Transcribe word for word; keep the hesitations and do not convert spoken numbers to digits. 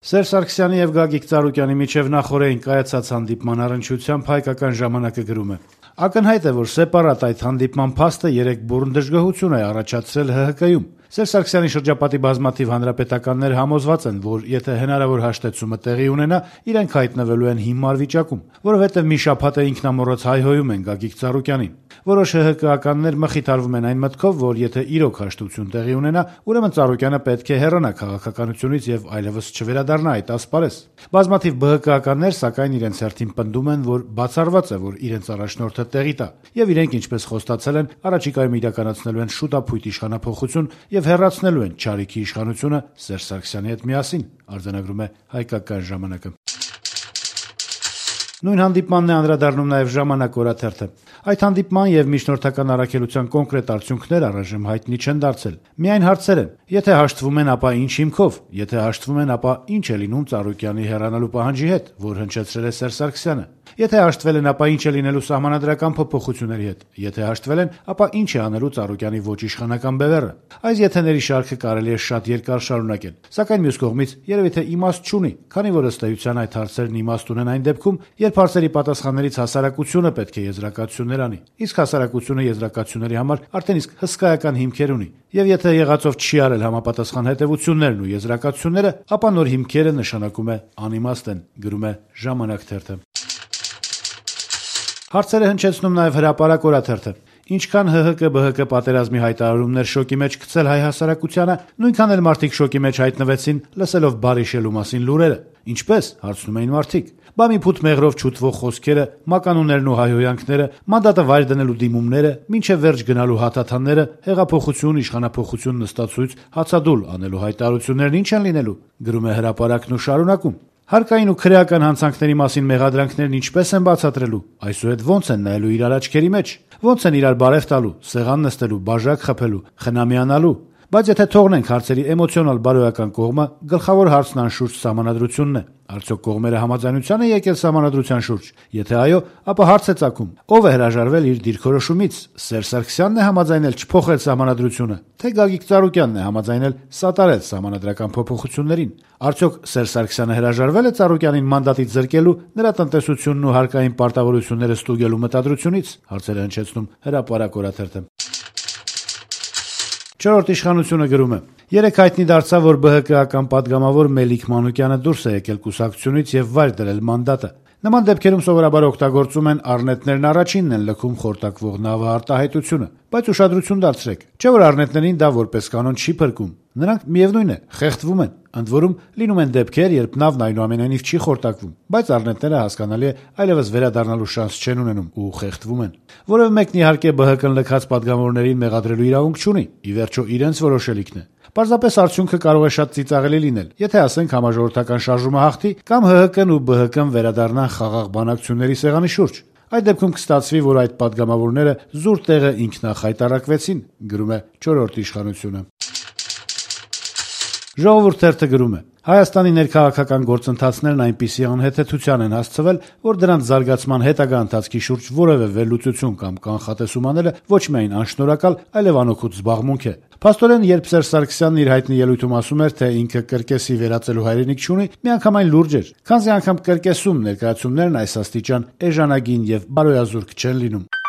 Սերժ Սարգսյանի եւ Գագիկ Ծառուկյանի միջեւ նախօրեին կայացած հանդիպման առնչությամբ «Հայկական ժամանակը» գրում է. «Ակնհայտ է, որ սեպարատ այդ հանդիպման փաստը երեք բուռն դժգոհություն է առաջացրել ՀՀԿ-ում: Սերժ Սարգսյանի շրջապատի բազմաթիվ հանրապետականներ համոզված են, որ եթե հնարավոր հաշտեցումը տեղի ունենա, իրենք հայտնվելու են հիմար վիճակում, որովհետեւ մի շաբաթ է ինքնամոռոց հայհոյում են Գագիկ Ծառուկյանին: Որոշ ՀՀԿ-ականներ մխիթարվում են այն մտքով, որ եթե իրոք հաշտություն տեղի ունենա, ուրեմն Ծառուկյանը պետք է հեռանա քաղաքականությունից եւ այլեւս չվերադառնա այդ ասպարեզ: Բազմաթիվ ԲՀԿ-ականներ, սակայն, իրենց հերթին պնդում են, որ բացառված է, որ իրենց առաջնորդը տեղի տա, եւ իրենք, ինչպես խոստացել են, առաջիկայում իրականացնելու են շուտափույթ իշխանափոխություն եւ հեռացնելու են չարիքի իշխանությունը Սերժ Սարգսյանի հետ միասին»: Արձանագրում է «Հայկական ժամանակը»: Նույն հանդիպմանն է անդրադառնում նաեւ «Ժամանակ» օրաթերթը. «Այդ հանդիպման եւ միջնորդական առաքելության կոնկրետ արդյունքներ առայժմ հայտնի չեն դարձել: Միայն հարցեր են. եթե հաշտվում են, ապա ինչ հիմքով: Եթե հաշտվում են, ապա ինչ է լինում Ծառուկյանի հեռանալու պահանջի հետ, որ հնչեցրել է Սերժ Սարգսյանը: Եթե հաշտվել են, ապա ինչ է լինելու սահմանադրական փոփոխությունների հետ: Եթե հաշտվել են, ապա ինչ է անելու Ծառուկյանի ոչ իշխանական բևեռը: Այս եթեների շարքը կարելի է շատ երկար շարունակել: Սակայն մյուս կողմից, երեւի թե իմաստ չունի, քանի որ ըստ էության այդ հարցերն իմաստ ունեն այն դեպքում, երբ հարցերի պատասխաններից հասարակությունը պետք է եզրակացություններ անի: Իսկ հասարակությունը եզրակացությունների համար արդեն իսկ հսկայական հիմքեր ունի: Եվ եթե եղածով չի արել համապատասխան հետեւություններն ու եզրակացությունները, ապա նոր հիմքերը, նշանակում է, անիմաստ են»: Գրում է «Ժամանակ» թերթը: Հարցեր է հնչեցնում նաեւ «Հրապարակ» օրաթերթը. «Ինչքան ՀՀԿ-ԲՀԿ պատերազմի հայտարարումներ շոկի մեջ գցել հայ հասարակությանը, նույնքան էլ մարդիկ շոկի մեջ հայտնվեցին՝ լսելով Բարիշելու մասին լուրերը: Ինչպե՞ս, հարցնում էին մարդիկ: Բա մի փութ մեղրով չուտվող խոսքերը, մականուններն ու հայհոյանքները, մանդատը վայր դնելու դիմումները, մինչեւ վերջ գնալու հաթաթանները, հեղափոխություն, իշխանափոխություն, նստացույց, հացադուլ անելու հայտարարություններն ի՞նչ են լինելու»: Գրում է «Հրապարակ»-ն ու շարունակում. «Հարկային ու քրեական հանցանքների մասին մեղադրանքներն ինչպե՞ս են բացատրելու: Այսուհետ ո՞նց են նայելու իրար աչքերի մեջ: Ո՞նց են իրար բարեւ տալու, սեղան նստելու, բաժակ խփելու, խնամյանալու: Բայց եթե թողնենք հարցերի էմոցիոնալ բարոյական կողմը, գլխավոր հարցն անշուշտ սահմանադրությունն է: Արդյոք կողմերը համաձայնության են եկել սահմանադրության շուրջ: Եթե այո, ապա հարց է ծագում. ով է հրաժարվել իր դիրքորոշումից: Սերժ Սարգսյա՞նն է համաձայնել չփոխել սահմանադրությունը, թե Գագիկ Ծառուկյանն է համաձայնել սատարել սահմանադրական փոփոխություններին: Արդյոք Սերժ Սարգսյանը հրաժարվե՞լ է Ծառուկյանին մանդատից զրկելու, նրա տնտեսությունն ու հարկային պարտավորությունները ստուգելու մտադրությունից»: Հարցեր է հնչեցնում «Հրապարակ» օրաթերթը: «Չորրորդ ինքնիշխանություն»-ը գրում է. «Երեկ հայտնի դարձավ, որ ԲՀԿ-ական պատգամավոր Մելիք Մանուկյանը դուրս է եկել կուսակցությունից եւ վայր դրել մանդատը: Նման դեպքերում սովորաբար օգտագործում են «առնետներն առաջինն են լքում» խորտակվող նավը արտահայտությունը: Բայց ուշադրություն դարձրեք, չէ՞ որ առնետներին դա որպես կանոն չի փրկում: Նրանք, միեւնույն է, խեղդվում են: Ընդ որում, լինում են դեպքեր, երբ նավն այնուամենայնիվ չի խորտակվում, բայց առնետները, հասկանալի է, այլեւս վերադառնալու շանս չեն ունենում ու խեղդվում են: Որեւէ մեկն, իհարկե, ԲՀԿ-ն լքած պատգամավորներին մեղադրելու իրավունք չունի, ի վերջո իրենց որոշելիքն է: Պարզապես արդյունքը կարող է շատ ծիծաղելի լինել, եթե, ասենք, համաժողովրդական շարժումը հաղթի կամ ՀՀԿ-ն ու ԲՀԿ-ն վերադառնան խաղաղ բանակցությունների սեղանի շուրջ: Այդ դեպքում կստացվի, որ այդ պատգամավորները զուր տեղը ինքնախայտառակվեցին»: Գրում է «Չորրորդ ինքնիշխանություն»-ը: «Ժողովուրդ» թերթը գրում է. «Հայաստանի ներքաղաքական գործընթացներն այնպիսի անհեթեթության են հասցվել, որ դրանց զարգացման հետագա ընթացքի շուրջ որեւէ վերլուծություն կամ կանխատեսում անելը ոչ միայն անշնորհակալ, այլեւ անօգուտ զբաղմունք է: Փաստորեն, երբ Սերժ Սարգսյանն իր հայտնի ելույթում ասում էր, թե ինքը կրկեսի վերածելու հայրենիք չունի, միանգամայն լուրջ էր: Քանզի անգամ կրկեսում ներկայացումներն այս աստիճան էժանագին եւ բարոյազուրկ չեն լինում»: